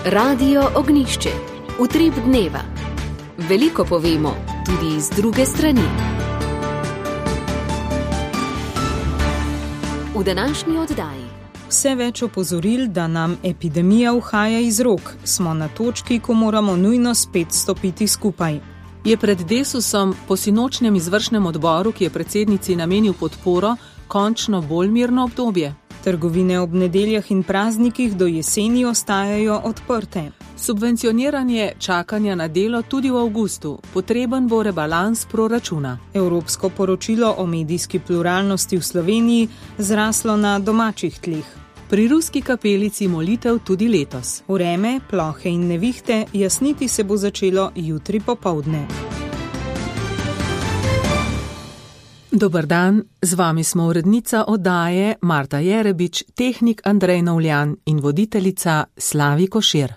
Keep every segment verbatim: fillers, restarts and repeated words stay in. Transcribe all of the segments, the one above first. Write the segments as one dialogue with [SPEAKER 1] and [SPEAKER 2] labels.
[SPEAKER 1] Radio Ognjišče, utrip dneva. Veliko povemo, tudi iz druge strani. V današnji oddaji.
[SPEAKER 2] Vse več opozoril, da nam epidemija uhaja iz rok, smo na točki, ko moramo nujno spet stopiti skupaj.
[SPEAKER 3] Je pred Desusom po sinočnjem izvršnem odboru, ki je predsednici namenil podporo, končno bolj mirno obdobje?
[SPEAKER 2] Trgovine ob nedeljah in praznikih do jeseni ostajajo odprte.
[SPEAKER 3] Subvencioniranje čakanja na delo tudi v avgustu. Potreben bo rebalans proračuna.
[SPEAKER 2] Evropsko poročilo o medijski pluralnosti v Sloveniji zraslo na domačih tleh.
[SPEAKER 3] Pri ruski kapelici molitev tudi letos.
[SPEAKER 2] Vreme, plohe in nevihte, jasniti se bo začelo jutri popoldne.
[SPEAKER 3] Dober dan, z vami smo urednica oddaje Marta Jerebič, tehnik Andrej Novljan in voditeljica Slavi Košir.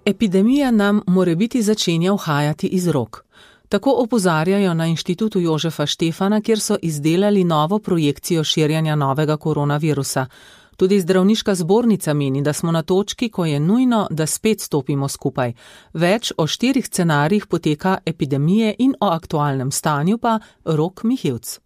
[SPEAKER 3] Epidemija nam morebiti začenja uhajati iz rok. Tako opozarjajo na Inštitutu Jožefa Štefana, kjer so izdelali novo projekcijo širjenja novega koronavirusa. Tudi zdravniška zbornica meni, da smo na točki, ko je nujno, da spet stopimo skupaj. Več o štirih scenarijih poteka epidemije in o aktualnem stanju pa Rok Mihevc.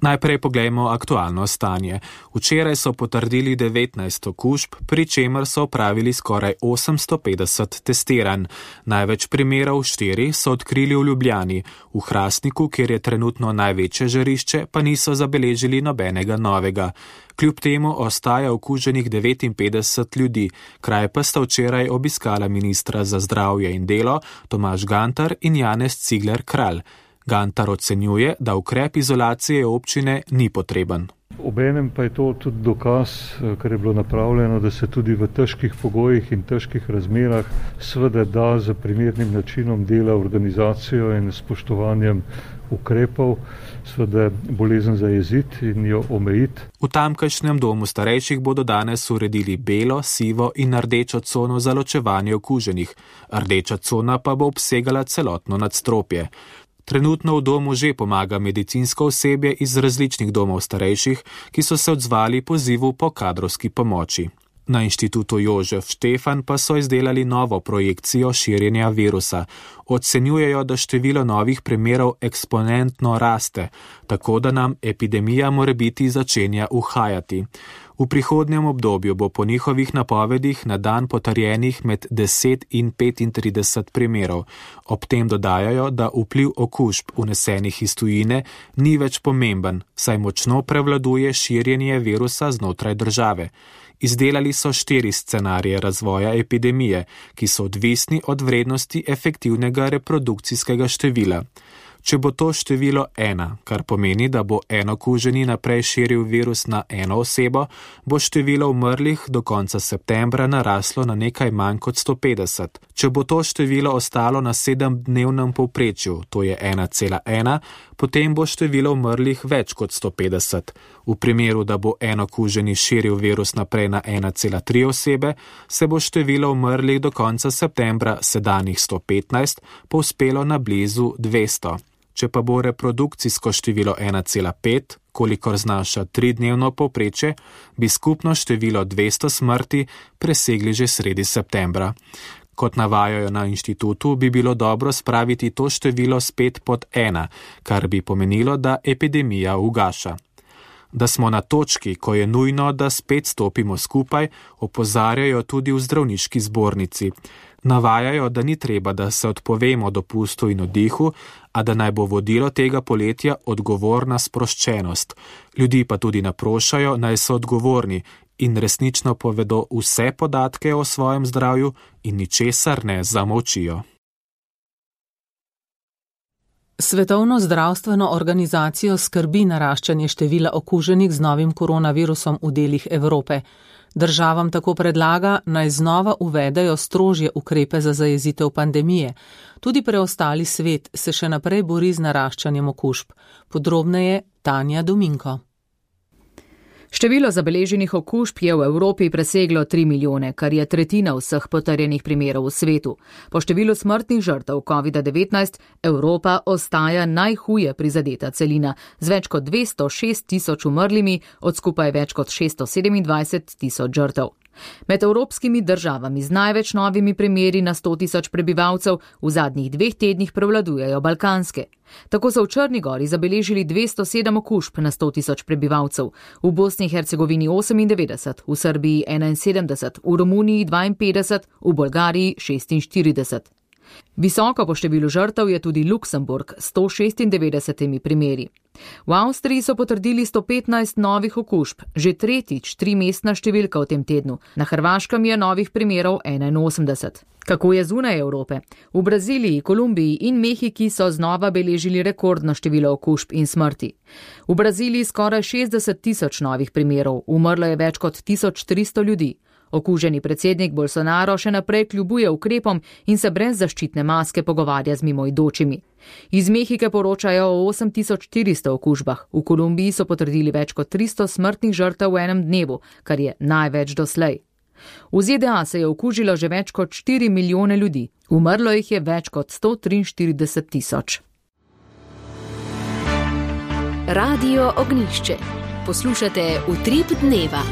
[SPEAKER 4] Najprej poglejmo aktualno stanje. Včeraj so potrdili devetnajst okužb, pri čemer so opravili skoraj osemsto petdeset testiranj. Največ primerov, štiri, so odkrili v Ljubljani. V Hrastniku, kjer je trenutno največje žarišče, pa niso zabeležili nobenega novega. Kljub temu ostaja okuženih devetinpetdeset ljudi, kraj pa sta včeraj obiskala ministra za zdravje in delo Tomaž Gantar in Janez Cigler Kralj. Gantar ocenjuje, da ukrep izolacije občine ni potreben.
[SPEAKER 5] Obenem pa je to tudi dokaz, kar je bilo napravljeno, da se tudi v težkih pogojih in težkih razmerah seveda da z primernim načinom dela, organizacijo in spoštovanjem ukrepov, seveda bolezen zajeziti in jo omejiti.
[SPEAKER 4] V tamkajšnjem domu starejših bodo danes uredili belo, sivo in rdečo cono za ločevanje okuženih. Rdeča cona pa bo obsegala celotno nadstropje. Trenutno v domu že pomaga medicinsko osebje iz različnih domov starejših, ki so se odzvali pozivu po kadrovski pomoči. Na Inštitutu Jožef Štefan pa so izdelali novo projekcijo širjenja virusa. Ocenjujejo, da število novih primerov eksponentno raste, tako da nam epidemija morebiti začenja uhajati. V prihodnjem obdobju bo po njihovih napovedih na dan potrjenih med deset in petintrideset primerov. Ob tem dodajajo, da vpliv okužb unesenih iz tujine ni več pomemben, saj močno prevladuje širjenje virusa znotraj države. Izdelali so štiri scenarije razvoja epidemije, ki so odvisni od vrednosti efektivnega reprodukcijskega števila. Če bo to število ena, kar pomeni, da bo en okuženi naprej širil virus na eno osebo, bo število umrlih do konca septembra naraslo na nekaj manj kot sto petdeset. Če bo to število ostalo na sedemdnevnem povprečju, to je ena cela ena, potem bo število umrlih več kot sto petdeset. V primeru, da bo en okuženi širil virus naprej na ena cela tri osebe, se bo število umrlih do konca septembra sedanjih sto petnajst povzpelo na blizu dvesto. Če pa bo reprodukcijsko število ena cela pet, kolikor znaša tridnevno povprečje, bi skupno število dvesto smrti presegli že sredi septembra. Kot navajajo na inštitutu, bi bilo dobro spraviti to število spet pod ena, kar bi pomenilo, da epidemija ugaša. Da smo na točki, ko je nujno, da spet stopimo skupaj, opozarjajo tudi v zdravniški zbornici. Navajajo, da ni treba, da se odpovemo dopustu in oddihu, a da naj bo vodilo tega poletja odgovorna sproščenost. Ljudi pa tudi naprošajo, naj so odgovorni in resnično povedo vse podatke o svojem zdravju in ničesar ne zamolčijo.
[SPEAKER 3] Svetovno zdravstveno organizacijo skrbi naraščanje števila okuženih z novim koronavirusom v delih Evrope. Državam tako predlaga, naj znova uvedejo strožje ukrepe za zajezitev pandemije. Tudi preostali svet se še naprej bori z naraščanjem okužb. Podrobneje Tanja Dominko.
[SPEAKER 6] Število zabeleženih okužb je v Evropi preseglo tri milijone, kar je tretjina vseh potrjenih primerov v svetu. Po številu smrtnih žrtev covid devetnajst Evropa ostaja najhuje prizadeta celina z več kot dvesto šest tisoč umrlimi od skupaj več kot šeststo sedemindvajset tisoč žrtev. Med evropskimi državami z največ novimi primeri na sto tisoč prebivalcev v zadnjih dveh tednih prevladujejo balkanske. Tako so v Črni gori zabeležili dvesto sedem okužb na sto tisoč prebivalcev, v Bosni in Hercegovini osemindevetdeset, v Srbiji enainsedemdeset, v Romuniji dvainpetdeset, v Bolgariji šestinštirideset. Visoko po številu žrtev je tudi Luksemburg s sto šestindevetdesetimi primeri. V Avstriji so potrdili sto petnajst novih okužb, že tretjič trimestna številka v tem tednu. Na Hrvaškem je novih primerov enainosemdeset. Kako je zunaj Evrope? V Braziliji, Kolumbiji in Mehiki so znova beležili rekordno število okužb in smrti. V Braziliji skoraj šestdeset tisoč novih primerov, umrlo je več kot tisoč tristo ljudi. Okuženi predsednik Bolsonaro še naprej kljubuje ukrepom in se brez zaščitne maske pogovarja z mimoidočimi. Iz Mehike poročajo o osem tisoč štiristo okužbah, v Kolumbiji so potrdili več kot tristo smrtnih žrtev v enem dnevu, kar je največ doslej. V Z D A se je okužilo že več kot štiri milijone ljudi, umrlo jih je več kot sto triinštirideset tisoč.
[SPEAKER 1] Radio Ognjišče. Poslušate Utrip dneva.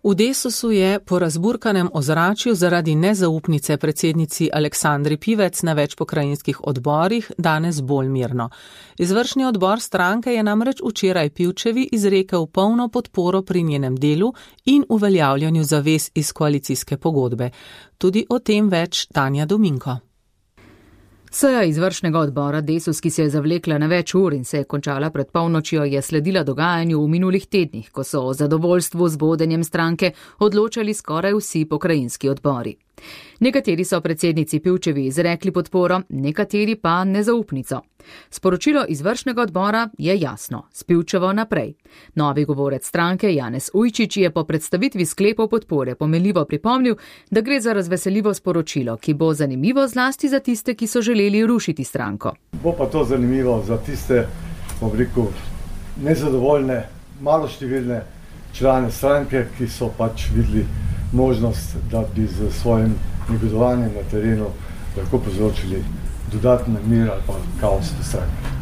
[SPEAKER 3] V Desusu je po razburkanem ozračju zaradi nezaupnice predsednici Aleksandri Pivec na več pokrajinskih odborih danes bolj mirno. Izvršni odbor stranke je namreč včeraj Pivčevi izrekel polno podporo pri njenem delu in uveljavljanju zavez iz koalicijske pogodbe. Tudi o tem več Tanja Dominko.
[SPEAKER 6] Seja izvršnega odbora Desus, ki se je zavlekla na več ur in se je končala pred polnočjo, je sledila dogajanju v minulih tednih, ko so o zadovoljstvu z vodenjem stranke odločali skoraj vsi pokrajinski odbori. Nekateri so predsednici Pivčevi izrekli podporo, nekateri pa nezaupnico. Sporočilo izvršnega odbora je jasno, s Pivčevo naprej. Novi govorec stranke Janez Ujčič je po predstavitvi sklepov podpore pomenljivo pripomnil, da gre za razveseljivo sporočilo, ki bo zanimivo zlasti za tiste, ki so želeli rušiti stranko.
[SPEAKER 7] Bo pa to zanimivo za tiste, bom rekel, nezadovoljne, maloštevilne člane stranke, ki so pač videli možnost, da bi z svojim negodovanjem na terenu lahko povzročili dodatni mir ali pa kaos v stranki.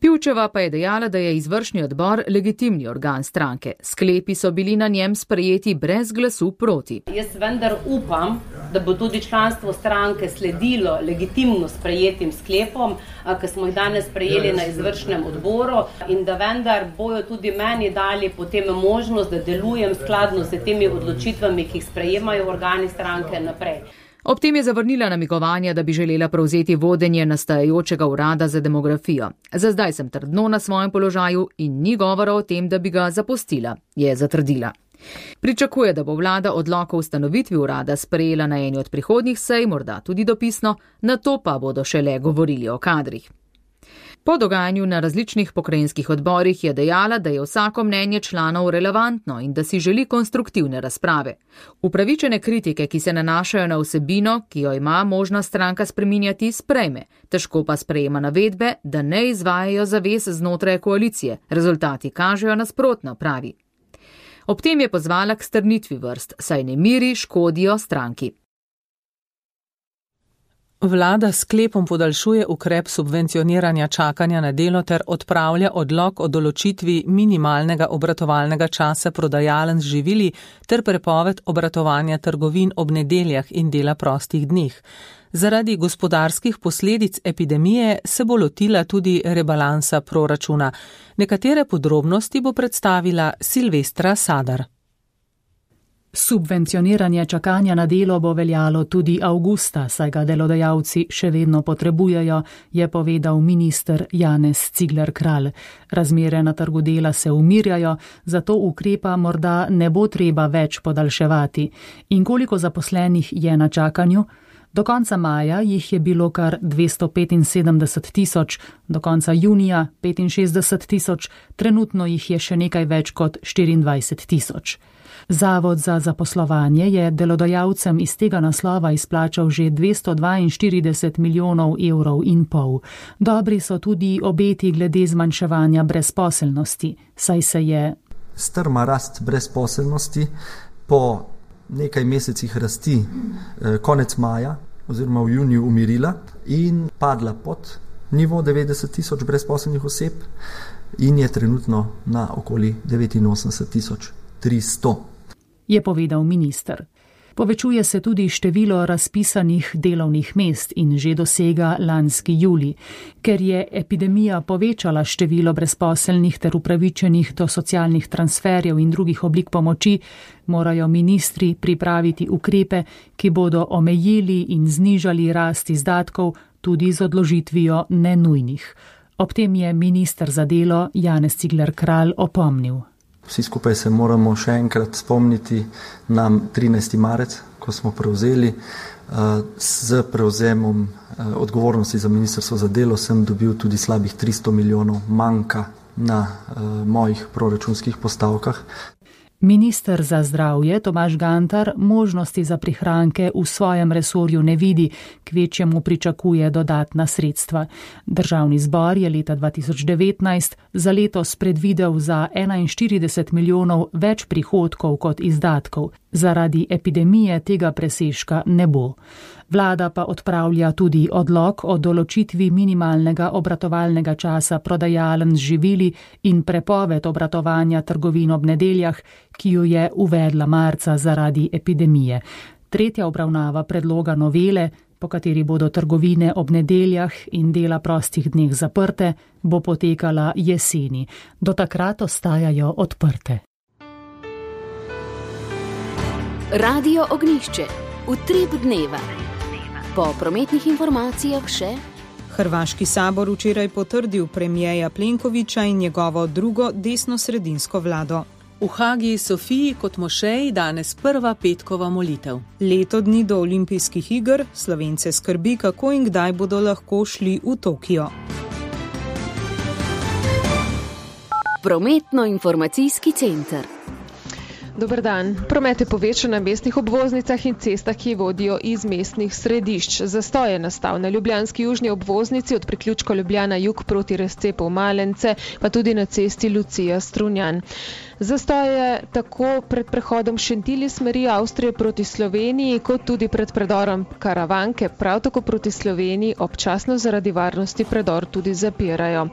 [SPEAKER 6] Pivčeva pa je dejala, da je izvršni odbor legitimni organ stranke. Sklepi so bili na njem sprejeti brez glasu proti.
[SPEAKER 8] Jaz vendar upam, da bo tudi članstvo stranke sledilo legitimno sprejetim sklepom, ki smo jih danes sprejeli na izvršnem odboru, in da vendar bojo tudi meni dali potem možnost, da delujem skladno s temi odločitvami, ki jih sprejemajo organi stranke naprej.
[SPEAKER 6] Ob tem je zavrnila namigovanja, da bi želela prevzeti vodenje nastajajočega urada za demografijo. Za zdaj sem trdno na svojem položaju in ni govora o tem, da bi ga zapustila, je zatrdila. Pričakuje, da bo vlada odlok o ustanovitvi urada sprejela na eni od prihodnjih sej, morda tudi dopisno, nato pa bodo šele govorili o kadrih. Po dogajanju na različnih pokrajinskih odborih je dejala, da je vsako mnenje članov relevantno in da si želi konstruktivne razprave. Upravičene kritike, ki se nanašajo na vsebino, ki jo ima možnost stranka spreminjati, sprejme. Težko pa sprejema navedbe, da ne izvajajo zavez znotraj koalicije. Rezultati kažejo nasprotno, pravi. Ob tem je pozvala k strnitvi vrst, saj nemiri škodijo stranki.
[SPEAKER 3] Vlada s sklepom podaljšuje ukrep subvencioniranja čakanja na delo ter odpravlja odlok o določitvi minimalnega obratovalnega časa prodajaln z živili ter prepoved obratovanja trgovin ob nedeljah in dela prostih dneh. Zaradi gospodarskih posledic epidemije se bo lotila tudi rebalansa proračuna. Nekatere podrobnosti bo predstavila Silvestra Sadar.
[SPEAKER 9] Subvencioniranje čakanja na delo bo veljalo tudi avgusta, saj ga delodajalci še vedno potrebujejo, je povedal minister Janez Cigler Kralj. Razmere na trgu dela se umirjajo, zato ukrepa morda ne bo treba več podaljševati. In koliko zaposlenih je na čakanju? Do konca maja jih je bilo kar dvesto petinsedemdeset tisoč, do konca junija petinšestdeset tisoč, trenutno jih je še nekaj več kot štiriindvajset tisoč. Zavod za zaposlovanje je delodajalcem iz tega naslova izplačal že dvesto dvainštirideset milijonov evrov in pol. Dobri so tudi obeti glede zmanjševanja brezposelnosti, saj se je
[SPEAKER 10] strma rast brezposelnosti po nekaj mesecih rasti eh, konec maja oziroma v juniju umirila in padla pod nivo devetdeset tisoč brezposelnih oseb in je trenutno na okoli devetinosemdeset tisoč tristo.
[SPEAKER 9] Je povedal minister. Povečuje se tudi število razpisanih delovnih mest in že dosega lanski julij. Ker je epidemija povečala število brezposelnih ter upravičenih do socialnih transferjev in drugih oblik pomoči, morajo ministri pripraviti ukrepe, ki bodo omejili in znižali rast izdatkov tudi z odložitvijo nenujnih. Ob tem je minister za delo Janez Cigler Kralj opomnil.
[SPEAKER 10] Vsi skupaj se moramo še enkrat spomniti na trinajsti marec, ko smo prevzeli. Z prevzemom odgovornosti za ministrstvo za delo sem dobil tudi slabih tristo milijonov manjka na mojih proračunskih postavkah.
[SPEAKER 9] Minister za zdravje Tomaž Gantar možnosti za prihranke v svojem resorju ne vidi, kvečjemu pričakuje dodatna sredstva. Državni zbor je leta dva tisoč devetnajst za letos predvidel za enainštirideset milijonov več prihodkov kot izdatkov. Zaradi epidemije tega presežka ne bo. Vlada pa odpravlja tudi odlok o določitvi minimalnega obratovalnega časa prodajaln z živili in prepoved obratovanja trgovin ob nedeljah, ki jo je uvedla marca zaradi epidemije. Tretja obravnava predloga novele, po kateri bodo trgovine ob nedeljah in dela prostih dneh zaprte, bo potekala jeseni. Do takrat ostajajo odprte.
[SPEAKER 1] Radio Ognjišče. Utrip dneva. Po prometnih informacijah še.
[SPEAKER 2] Hrvaški sabor včeraj potrdil premijeja Plenkovića in njegovo drugo desnosredinsko vlado.
[SPEAKER 3] V Hagi Sofiji kot mošeji danes prva petkova molitev.
[SPEAKER 2] Leto dni do olimpijskih iger Slovence skrbi, kako in kdaj bodo lahko šli v Tokio.
[SPEAKER 1] Prometno-informacijski center.
[SPEAKER 11] Dober dan. Promet je povečan na mestnih obvoznicah in cestah, ki vodijo iz mestnih središč. Zastoj je nastal na ljubljanski južni obvoznici od priključka Ljubljana jug proti razcepu Malence, pa tudi na cesti Lucija Strunjan. Zastoj je tako pred prehodom Šentilj iz smeri Avstrije proti Sloveniji, kot tudi pred predorom Karavanke, prav tako proti Sloveniji, občasno zaradi varnosti predor tudi zapirajo.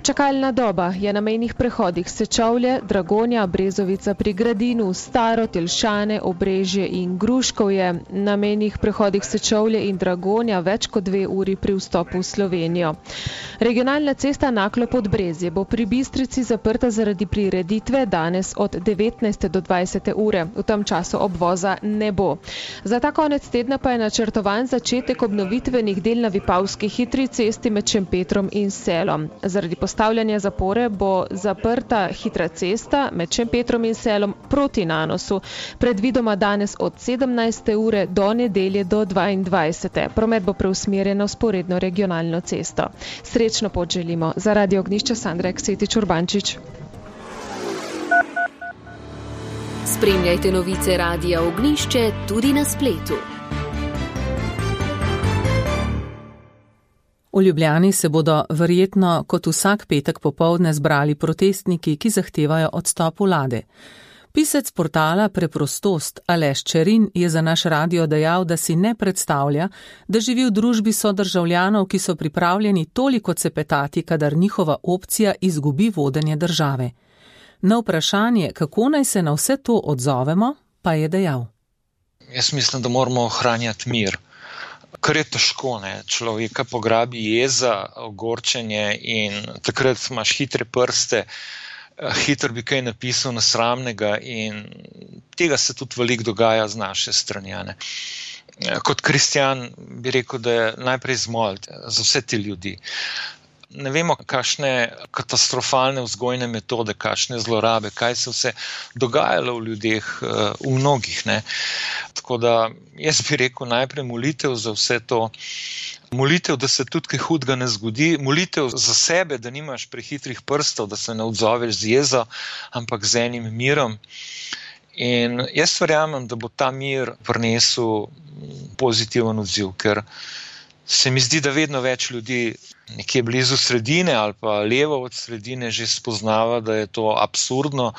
[SPEAKER 11] Čakalna doba je na mejnih prehodih Sečovlje, Dragonja, Brezovica pri Gradinu, Staro, Telšane, Obrežje in Gruškovje. Na mejnih prehodih Sečovlje in Dragonja več kot dve uri pri vstopu v Slovenijo. Regionalna cesta Naklo Podbrezje bo pri Bistrici zaprta zaradi prireditve danes od devetnajste do dvajsete ure. V tem času obvoza ne bo. Za ta konec tedna pa je načrtovan začetek obnovitvenih del na Vipavski hitri cesti med Šempetrom in Selom. Zaradi postavljanja zapore bo zaprta hitra cesta med Šempetrom in Selom proti Nanosu, predvidoma danes od sedemnajste ure do nedelje do dvaindvajsete. Promet bo preusmerjen na vzporedno regionalno cesto. Srečno pot želimo. Za Radio Ognjišče Sandra Eksetič Urbančič.
[SPEAKER 1] Spremljajte novice Radia Ognjišče tudi na spletu.
[SPEAKER 3] V Ljubljani se bodo verjetno kot vsak petek popoldne zbrali protestniki, ki zahtevajo odstop vlade. Pisec portala Preprostost Aleš Čerin je za naš radio dejal, da si ne predstavlja, da živi v družbi sodržavljanov, ki so pripravljeni toliko cepetati, kadar njihova opcija izgubi vodenje države. Na vprašanje, kako naj se na vse to odzovemo, pa je dejal.
[SPEAKER 12] Jaz mislim, da moramo ohranjati mir. Kar je težko, ne? Človeka pograbi jeza, ogorčenje in takrat imaš hitre prste, hitro bi kaj napisal nesramnega in tega se tudi veliko dogaja z naše strani. Ne? Kot kristjan bi rekel, da je najprej zmoliti za vse te ljudi. Ne vemo, kakšne katastrofalne vzgojne metode, kakšne zlorabe, kaj se vse dogajalo v ljudeh, v mnogih. Ne? Tako da jaz bi rekel najprej molitev za vse to, molitev, da se tudi kaj hudega ne zgodi, molitev za sebe, da nimaš prehitrih prstov, da se ne odzoveš z jezo, ampak z enim mirom. In jaz verjamem, da bo ta mir prinesel pozitiven odziv, ker se mi zdi, da vedno več ljudi nekje blizu sredine ali pa levo od sredine že spoznava, da je to absurdno,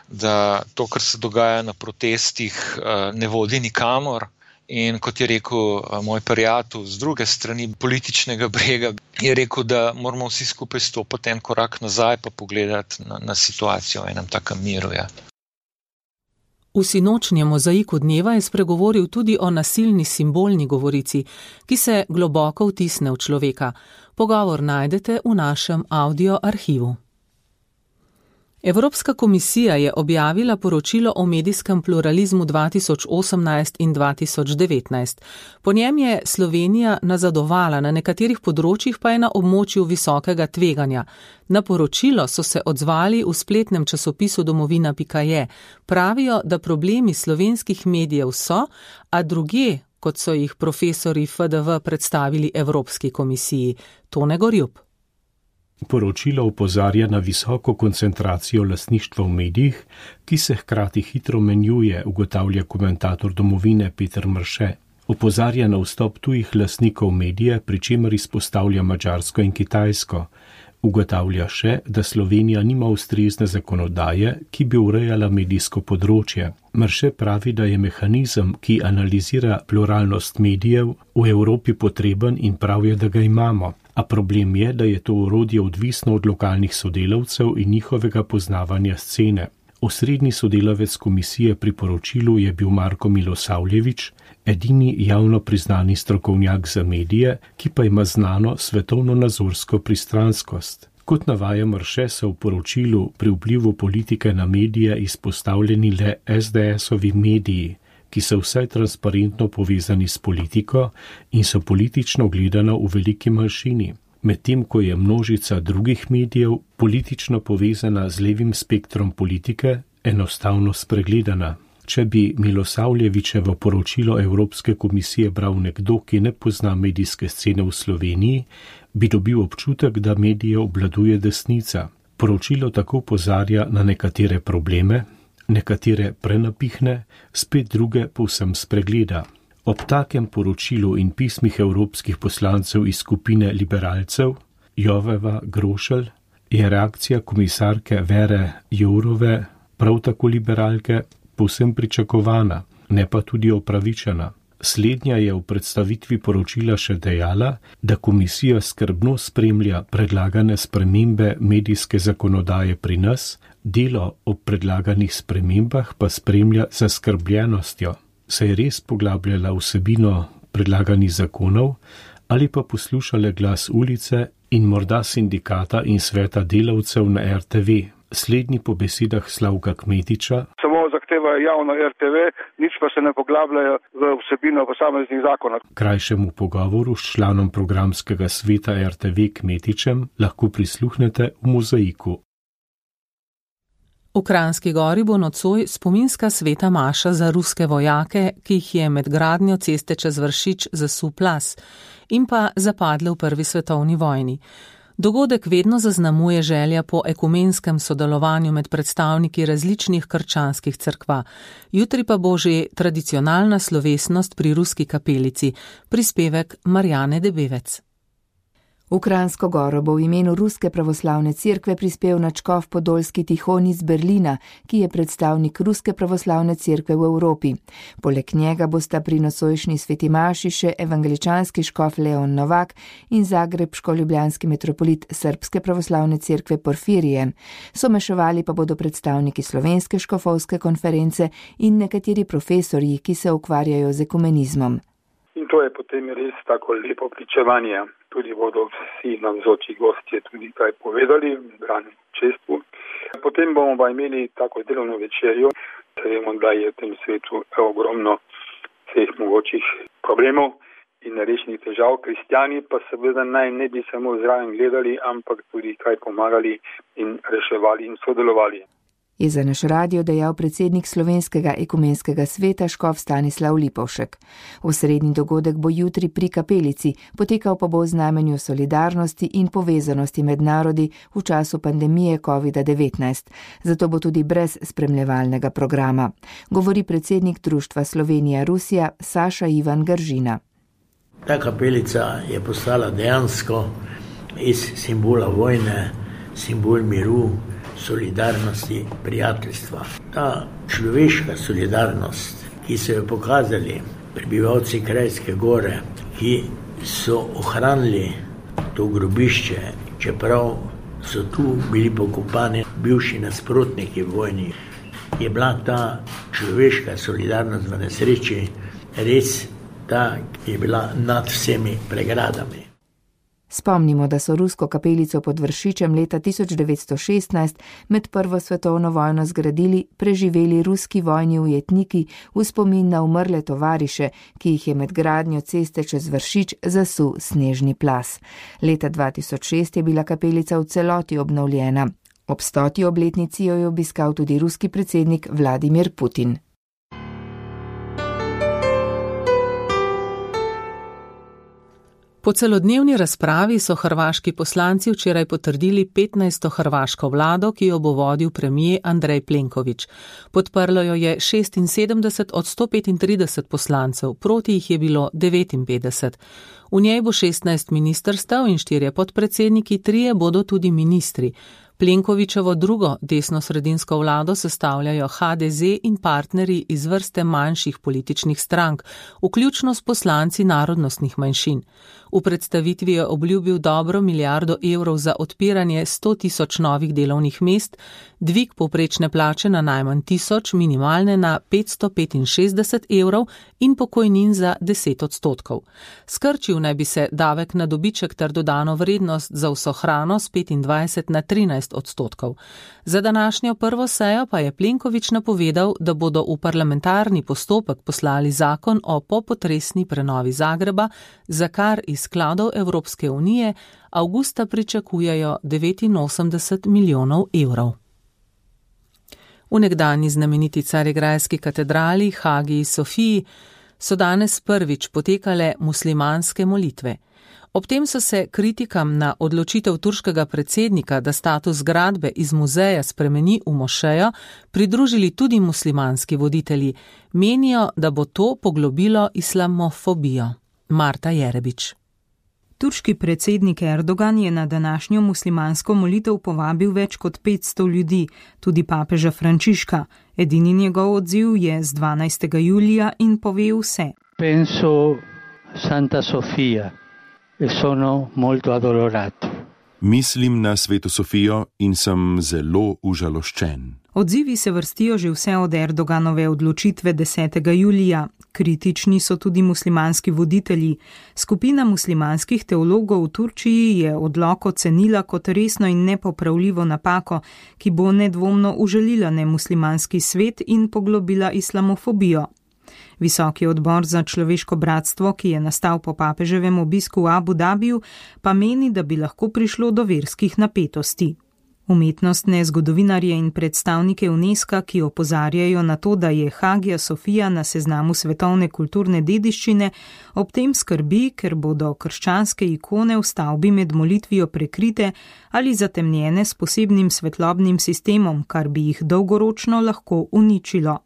[SPEAKER 12] da to, kar se dogaja na protestih, ne vodi nikamor. In kot je rekel moj prijatelj z druge strani političnega brega, je rekel, da moramo vsi skupaj stopiti en korak nazaj pa pogledati na, na situacijo v enem takem miru. Ja.
[SPEAKER 3] V sinočnjem mozaiku dneva je spregovoril tudi o nasilni simbolni govorici, ki se globoko vtisne v človeka. Pogovor najdete v našem audio arhivu. Evropska komisija je objavila poročilo o medijskem pluralizmu dva tisoč osemnajst in dva tisoč devetnajst. Po njem je Slovenija nazadovala, na nekaterih področjih pa je na območju visokega tveganja. Na poročilo so se odzvali v spletnem časopisu domovina pika je. Pravijo, da problemi slovenskih medijev so, a drugje, kot so jih profesori F D V predstavili Evropski komisiji. Tone Gorjup.
[SPEAKER 13] Poročilo opozarja na visoko koncentracijo lastništva v medijih, ki se hkrati hitro menjuje, ugotavlja komentator domovine Peter Mrše. Opozarja na vstop tujih lastnikov medije, pri čemer izpostavlja Madžarsko in Kitajsko. Ugotavlja še, da Slovenija nima ustrezne zakonodaje, ki bi urejala medijsko področje. Mrše pravi, da je mehanizem, ki analizira pluralnost medijev, v Evropi potreben in pravi, da ga imamo. A problem je, da je to orodje odvisno od lokalnih sodelavcev in njihovega poznavanja scene. Osrednji sodelavec komisije pri poročilu je bil Marko Milosavljević, edini javno priznani strokovnjak za medije, ki pa ima znano svetovno-nazorsko pristranskost. Kot navaja Mrše, so v poročilu pri vplivu politike na medije izpostavljeni le es de esovi mediji, ki so vsaj transparentno povezani s politiko in so politično gledano v veliki manjšini, medtem ko je množica drugih medijev politično povezana z levim spektrom politike enostavno spregledana. Če bi Milosavljevićevo poročilo Evropske komisije bral nekdo, ki ne pozna medijske scene v Sloveniji, bi dobil občutek, da medije obvladuje desnica. Poročilo tako opozarja na nekatere probleme, nekatere prenapihne, spet druge povsem spregleda. Ob takem poročilu in pismih evropskih poslancev iz skupine liberalcev, Joveva Grošelj, je reakcija komisarke Vere Jourove, prav tako liberalke, povsem pričakovana, ne pa tudi opravičena. Slednja je v predstavitvi poročila še dejala, da komisija skrbno spremlja predlagane spremembe medijske zakonodaje pri nas, delo ob predlaganih spremembah pa spremlja z zaskrbljenostjo. Se je res poglabljala vsebino predlaganih zakonov ali pa poslušala glas ulice in morda sindikata in sveta delavcev na er te ve. Slednji po besedah Slavka Kmetiča
[SPEAKER 14] samo zahtevajo javno er te ve, nič pa se ne poglabljajo v vsebino posameznih zakonov.
[SPEAKER 13] Krajšemu pogovoru s članom programskega sveta er te ve Kmetičem lahko prisluhnete v mozaiku.
[SPEAKER 3] V Kranjski Gori bo nocoj spominska sveta maša za ruske vojake, ki jih je med gradnjo ceste čez Vršič zasul plaz in pa zapadle v prvi svetovni vojni. Dogodek vedno zaznamuje želja po ekumenskem sodelovanju med predstavniki različnih krščanskih cerkva. Jutri pa bo že tradicionalna slovesnost pri ruski kapelici, prispevek Marjane Debevec.
[SPEAKER 15] V Kranjsko Goro bo v imenu Ruske pravoslavne cerkve prispel nadškof Podolski Tihon iz Berlina, ki je predstavnik Ruske pravoslavne cerkve v Evropi. Poleg njega bosta pri nocojšnji sveti maši še evangeličanski škof Leon Novak in zagrebško-ljubljanski metropolit Srbske pravoslavne cerkve Porfirije. Somešovali pa bodo predstavniki Slovenske škofovske konference in nekateri profesorji, ki se ukvarjajo z ekumenizmom.
[SPEAKER 14] In to je potem res tako lepo pričevanje. Tudi bodo vsi navzoči gostje tudi kaj povedali, brani čestvu. Potem bomo pa imeli tako delovno večerjo. Vemo, da je v tem svetu ogromno vseh mogočih problemov in nerešenih težav. Kristjani pa seveda naj ne bi samo zraven gledali, ampak tudi kaj pomagali in reševali in sodelovali.
[SPEAKER 15] je za naš radio dejal predsednik Slovenskega ekumenskega sveta škof Stanislav Lipovšek. Osrednji dogodek bo jutri pri kapelici, potekal pa bo v znamenju solidarnosti in povezanosti med narodi v času pandemije kovida devetnajst, zato bo tudi brez spremljevalnega programa, govori predsednik Društva Slovenija-Rusija Saša Ivan Gržina.
[SPEAKER 16] Ta kapelica je postala dejansko iz simbola vojne, simbol miru, solidarnosti, prijateljstva. Ta človeška solidarnost, ki so jo pokazali prebivalci Kranjske Gore, ki so ohranili to grobišče, čeprav so tu bili pokopani bivši nasprotniki vojni, je bila ta človeška solidarnost v nesreči res ta, ki je bila nad vsemi pregradami.
[SPEAKER 15] Spomnimo, da so rusko kapelico pod Vršičem leta tisoč devetsto šestnajst med prvo svetovno vojno zgradili preživeli ruski vojni ujetniki v spomin na umrle tovariše, ki jih je med gradnjo ceste čez Vršič zasul snežni plaz. Leta dva tisoč šest je bila kapelica v celoti obnovljena. Ob stoti obletnici jo je obiskal tudi ruski predsednik Vladimir Putin.
[SPEAKER 3] Po celodnevni razpravi so hrvaški poslanci včeraj potrdili petnajsto hrvaško vlado, ki jo bo vodil premijer Andrej Plenković. Podprlo jo je šestinsedemdeset od sto petintrideset poslancev, proti jih je bilo devetinpetdeset. V njej bo šestnajst ministrstev in štirje podpredsedniki, trije bodo tudi ministri. Plenkovićevo drugo desno-sredinsko vlado sestavljajo ha de ze in partnerji iz vrste manjših političnih strank, vključno s poslanci narodnostnih manjšin. V predstavitvi je obljubil dobro milijardo evrov za odpiranje sto tisoč novih delovnih mest, dvig povprečne plače na najmanj tisoč, minimalne na petsto petinšestdeset evrov in pokojnin za deset odstotkov. Skrčil naj bi se davek na dobiček ter dodano vrednost za vso hrano s petindvajset na trinajst odstotkov. Za današnjo prvo sejo pa je Plenković napovedal, da bodo v parlamentarni postopek poslali zakon o popotresni prenovi Zagreba, za kar iz skladov Evropske unije avgusta pričakujejo devetinosemdeset milijonov evrov. V nekdanji znameniti carigrajski katedrali Hagiji Sofiji so danes prvič potekale muslimanske molitve. Ob tem so se kritikam na odločitev turškega predsednika, da status zgradbe iz muzeja spremeni v mošejo, pridružili tudi muslimanski voditelji. Menijo, da bo to poglobilo islamofobijo. Marta Jerebič.
[SPEAKER 2] Turški predsednik Erdogan je na današnjo muslimansko molitev povabil več kot petsto ljudi, tudi papeža Frančiška. Edini njegov odziv je z dvanajstega julija in pove vse.
[SPEAKER 17] Penso Santa Sofia e sono molto addolorato.
[SPEAKER 18] Mislim na Sveto Sofijo in sem zelo užaloščen.
[SPEAKER 2] Odzivi se vrstijo že vse od Erdoganove odločitve desetega julija. Kritični so tudi muslimanski voditelji. Skupina muslimanskih teologov v Turčiji je odlok ocenila kot resno in nepopravljivo napako, ki bo nedvomno užalila nemuslimanski svet in poglobila islamofobijo. Visoki odbor za človeško bratstvo, ki je nastal po papeževem obisku v Abu Dabiju, pa meni, da bi lahko prišlo do verskih napetosti. Umetnostne zgodovinarje in predstavnike UNESCO, ki opozarjajo na to, da je Hagija Sofija na seznamu svetovne kulturne dediščine, ob tem skrbi, ker bodo krščanske ikone v stavbi med molitvijo prekrite ali zatemnjene s posebnim svetlobnim sistemom, kar bi jih dolgoročno lahko uničilo.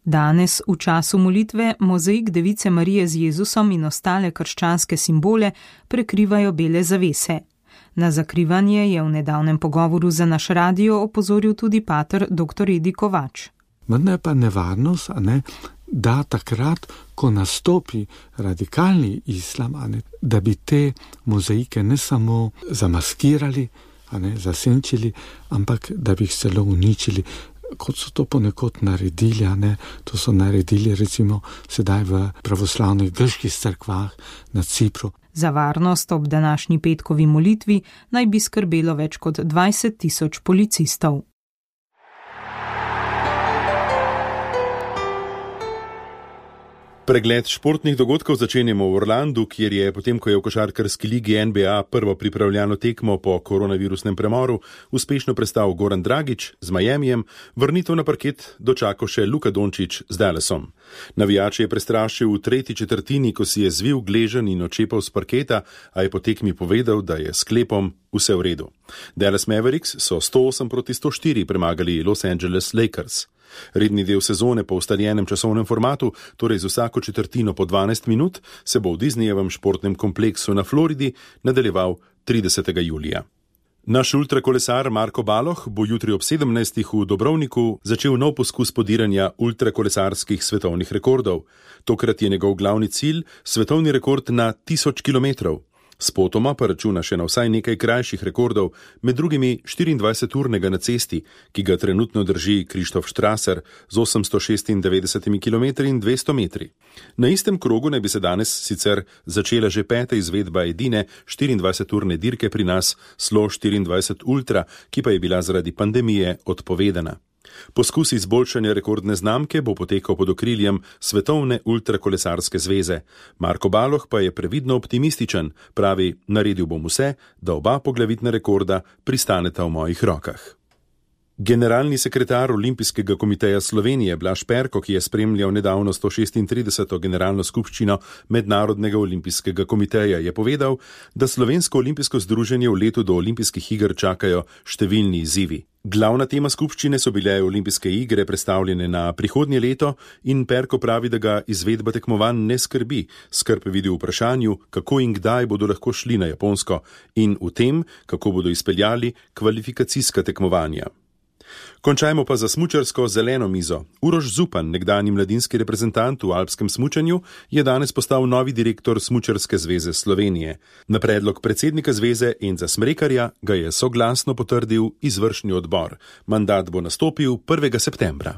[SPEAKER 2] Danes, v času molitve, mozaik Device Marije z Jezusom in ostale krščanske simbole prekrivajo bele zavese. Na zakrivanje je v nedavnem pogovoru za naš radio opozoril tudi pater doktor Edi Kovač.
[SPEAKER 19] Vendar je pa nevarnost, a ne, da takrat, ko nastopi radikalni islam, a ne, da bi te mozaike ne samo zamaskirali, a ne, zasenčili, ampak da bi jih celo uničili, kot so to ponekod naredili, a ne, to so naredili recimo sedaj v pravoslavnih grških cerkvah na Cipru.
[SPEAKER 2] Za varnost ob današnji petkovi molitvi naj bi skrbelo več kot dvajset tisoč policistov.
[SPEAKER 18] Pregled športnih dogodkov začenjamo v Orlandu, kjer je potem, ko je v košarkarski ligi N B A prvo pripravljalno tekmo po koronavirusnem premoru uspešno prestal Goran Dragić z Miamijem, vrnitev na parket dočakal še Luka Dončić z Dallasom. Navijače je prestrašil v tretji četrtini, ko si je zvil gležen in odčepal s parketa, a je po tekmi povedal, da je s sklepom vse v redu. Dallas Mavericks so sto osem proti sto štiri premagali Los Angeles Lakers. Redni del sezone po ustaljenem časovnem formatu, torej z vsako četrtino po dvanajst minut, se bo v Disneyjevem športnem kompleksu na Floridi nadaljeval tridesetega julija. Naš ultrakolesar Marko Baloh bo jutri ob sedemnajstih v Dobrovniku začel nov poskus podiranja ultrakolesarskih svetovnih rekordov. Tokrat je njegov glavni cilj svetovni rekord na tisoč kilometrov. Spotoma pa računa še na vsaj nekaj krajših rekordov, med drugimi štiriindvajseturnega na cesti, ki ga trenutno drži Krištof Strasser z osemsto šestindevetdeset kilometri in dvesto metri. Na istem krogu naj bi se danes sicer začela že peta izvedba edine štiriindvajseturne dirke pri nas, Slo štiriindvajset Ultra, ki pa je bila zaradi pandemije odpovedana. Poskus izboljšanja rekordne znamke bo potekal pod okriljem Svetovne ultrakolesarske zveze. Marko Baloh pa je previdno optimističen, pravi, naredil bom vse, da oba poglavitna rekorda pristaneta v mojih rokah. Generalni sekretar Olimpijskega komiteja Slovenije Blaž Perko, ki je spremljal nedavno sto šestintrideseto generalno skupščino Mednarodnega olimpijskega komiteja, je povedal, da Slovensko olimpijsko združenje v letu do olimpijskih iger čakajo številni izzivi. Glavna tema skupščine so bile olimpijske igre prestavljene na prihodnje leto in Perko pravi, da ga izvedba tekmovanj ne skrbi. Skrb vidi v vprašanju, kako in kdaj bodo lahko šli na Japonsko in v tem, kako bodo izpeljali kvalifikacijska tekmovanja. Končajmo pa za smučarsko zeleno mizo. Uroš Zupan, nekdanji mladinski reprezentant v alpskem smučanju, je danes postal novi direktor Smučarske zveze Slovenije. Na predlog predsednika zveze Enza Smrekarja ga je soglasno potrdil izvršni odbor. Mandat bo nastopil prvega septembra.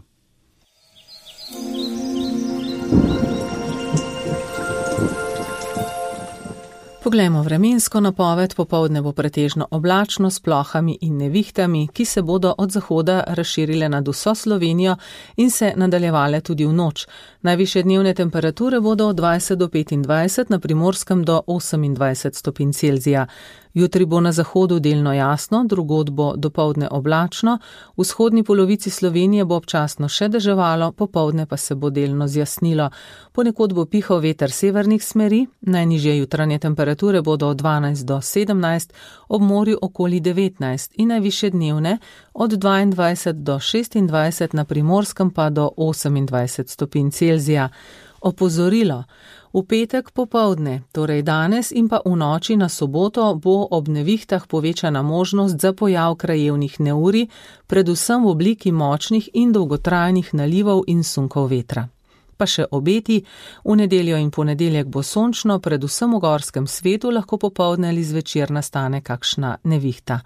[SPEAKER 3] Poglejmo vremensko napoved. Popoldne bo pretežno oblačno s plohami in nevihtami, ki se bodo od zahoda razširile nad vso Slovenijo in se nadaljevale tudi v noč. Najvišje dnevne temperature bodo od dvajset do petindvajset, na Primorskem do osemindvajset stopinj Celzija. Jutri bo na zahodu delno jasno, drugod bo dopoldne oblačno, v vzhodni polovici Slovenije bo občasno še deževalo, popoldne pa se bo delno zjasnilo. Ponekod bo pihal veter severnih smeri, najnižje jutranje temperature bodo od dvanajst do sedemnajst, ob morju okoli devetnajst in najvišje dnevne od dvaindvajset do šestindvajset, na Primorskem pa do osemindvajset stopinj Celzija. Opozorilo. V petek popoldne, torej danes in pa v noči na soboto, bo ob nevihtah povečana možnost za pojav krajevnih neurij, predvsem v obliki močnih in dolgotrajnih nalivov in sunkov vetra. Pa še obeti, v nedeljo in ponedeljek bo sončno, predvsem v gorskem svetu lahko popoldne ali zvečer nastane kakšna nevihta.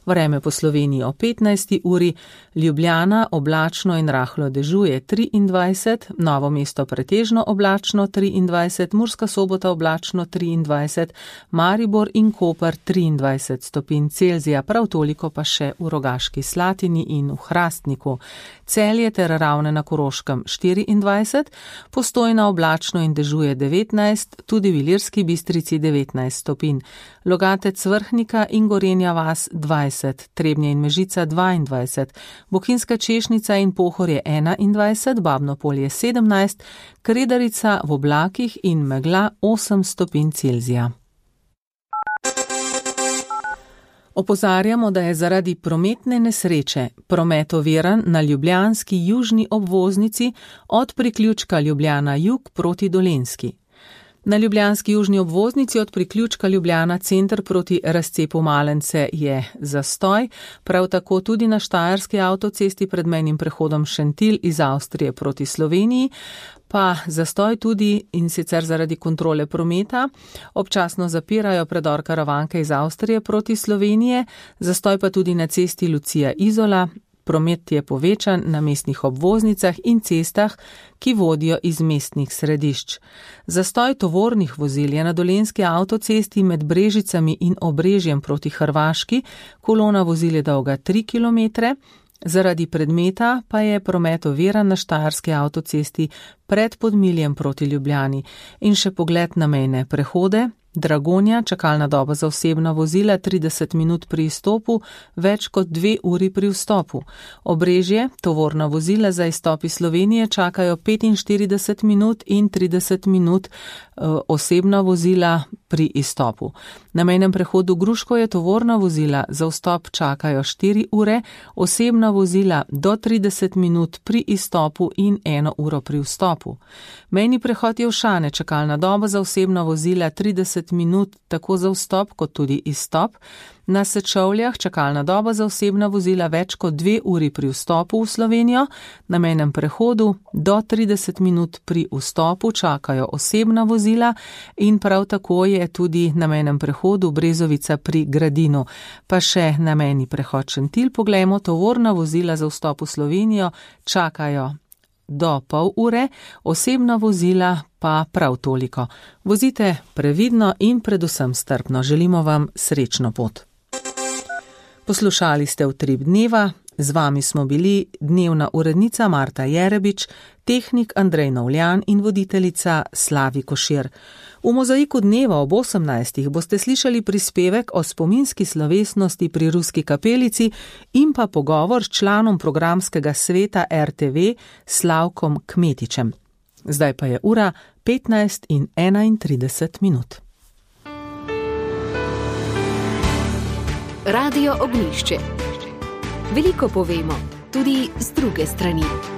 [SPEAKER 3] Vreme po Sloveniji o petnajsti uri, Ljubljana oblačno in rahlo dežuje triindvajset, Novo mesto pretežno oblačno triindvajset, Murska Sobota oblačno triindvajset, Maribor in Koper triindvajset stopinj Celzija, prav toliko pa še v Rogaški Slatini in v Hrastniku. Celje ter Ravne na Koroškem štiriindvajset, Postojna oblačno in dežuje devetnajst, tudi v Ilirski Bistrici devetnajst stopinj, Logatec, Vrhnika in Gorenja vas dvajset, Trebnje in Mežica dvaindvajset, Bohinjska Češnica in Pohorje enaindvajset, Babno Polje sedemnajst, Kredarica v oblakih in megla osem stopinj Celzija. Opozarjamo, da je zaradi prometne nesreče promet oviran na ljubljanski južni obvoznici od priključka Ljubljana jug proti Dolenjski. Na ljubljanski južni obvoznici od priključka Ljubljana center proti razcepu Malence je zastoj, prav tako tudi na štajerski avtocesti pred mejnim prehodom Šentilj iz Avstrije proti Sloveniji, pa zastoj tudi in sicer zaradi kontrole prometa. Občasno zapirajo predor Karavanke iz Avstrije proti Slovenije, zastoj pa tudi na cesti Lucija Izola. Promet je povečan na mestnih obvoznicah in cestah, ki vodijo iz mestnih središč. Zastoj tovornih vozil je na Dolenjski avtocesti med Brežicami in Obrežjem proti Hrvaški, kolona vozil je dolga tri kilometre, Zaradi predmeta pa je promet oviran na štajerski avtocesti pred Podmiljem proti Ljubljani in še pogled na mejne prehode. Dragonja, čakalna doba za osebna vozila trideset minut pri izstopu, več kot dve uri pri vstopu. Obrežje, tovorna vozila za izstop iz Slovenije čakajo petinštirideset minut in trideset minut, osebna vozila pri izstopu. Na mejnem prehodu Gruško je tovorna vozila za vstop čakajo štiri ure, osebna vozila do trideset minut pri izstopu in eno uro pri vstopu. Mejni prehod Jelšane, čakalna doba za osebna vozila trideset minut tako za vstop kot tudi izstop. Na Sečovljah čakalna doba za osebna vozila več kot dve uri pri vstopu v Slovenijo, na mejnem prehodu do trideset minut pri vstopu čakajo osebna vozila in prav tako je tudi na mejnem prehodu Brezovica pri Gradinu. Pa še na mejni prehod Šentilj poglejmo, tovorna vozila za vstop v Slovenijo čakajo do pol ure, osebna vozila pa prav toliko. Vozite previdno in predvsem strpno. Želimo vam srečno pot. Poslušali ste Utrip dneva, z vami smo bili dnevna urednica Marta Jerebič, tehnik Andrej Novljan in voditeljica Slavi Košir. V Mozaiku dneva ob osemnajstih boste slišali prispevek o spominski slovesnosti pri Ruski kapelici in pa pogovor s članom programskega sveta R T V Slavkom Kmetičem. Zdaj pa je ura petnajst in enaintrideset minut.
[SPEAKER 1] Radio Ognjišče. Veliko povemo, tudi z druge strani.